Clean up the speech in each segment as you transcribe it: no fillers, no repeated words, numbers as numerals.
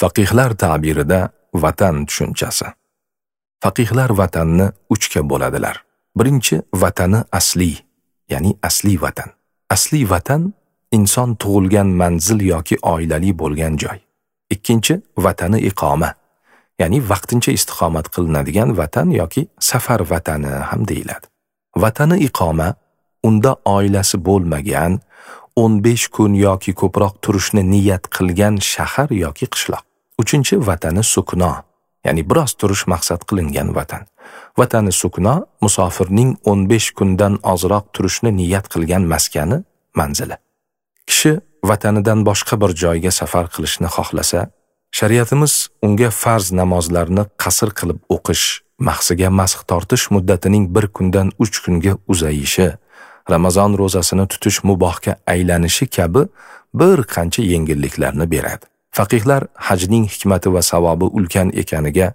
Faqihlar ta'birida vatan tushunchasi. Faqihlar vatanni uchga bo'ladilar. Birinchi, vatani asli, ya'ni asli vatan. Asli vatan inson tug'ilgan manzil yoki oilali bo'lgan joy. Ikkinchi, vatani iqoma, ya'ni vaqtincha istiqomat qilinadigan vatan yoki safar vatani ham deyiladi. Vatani iqoma unda oilasi bo'lmagan, 15 kun yoki ko'proq turishni niyat qilgan shahar yoki qishloq. Uchinchi, vatani sukno, ya'ni biroz turish maqsad qilingan vatan. Vatani sukno musofirning 15 kundan ozroq turishni niyat qilgan maskani, manzili. Kishi vatanidan boshqa bir joyga safar qilishni xohlasa, shariatimiz unga farz namozlarni qasr qilib o'qish, mahsiga masx tortish muddatining 1 kundan 3 kunga uzayishi, Ramazon ro'zasini tutish mubohga aylanishi kabi bir qancha yengilliklarni beradi. Faqihlar hajning hikmati va savobi ulkan ekaniga,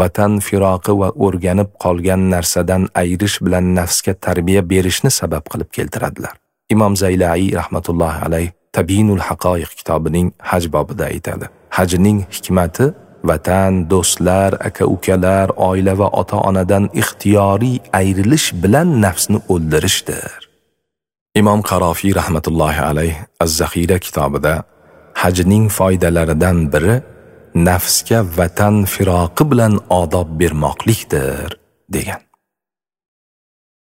vatan firoqi va o'rganib qolgan narsadan ayirish bilan nafsga tarbiya berishni sabab qilib keltiradilar. Imom Zaylai rahmatullohi alayh Tabyinul Haqoiq kitobining haj bobida aytadi. Hajning hikmati vatan, do'stlar, aka-ukalar, oila va ota-onadan ixtiyoriy ayrilish bilan nafsni o'ldirishdir. Imom Qarofiy rahmatullohi alayh Az-Zaxira kitobida hajning foydalaridan biri nafsga vatan firoqi bilan odob bermoqlikdir degan.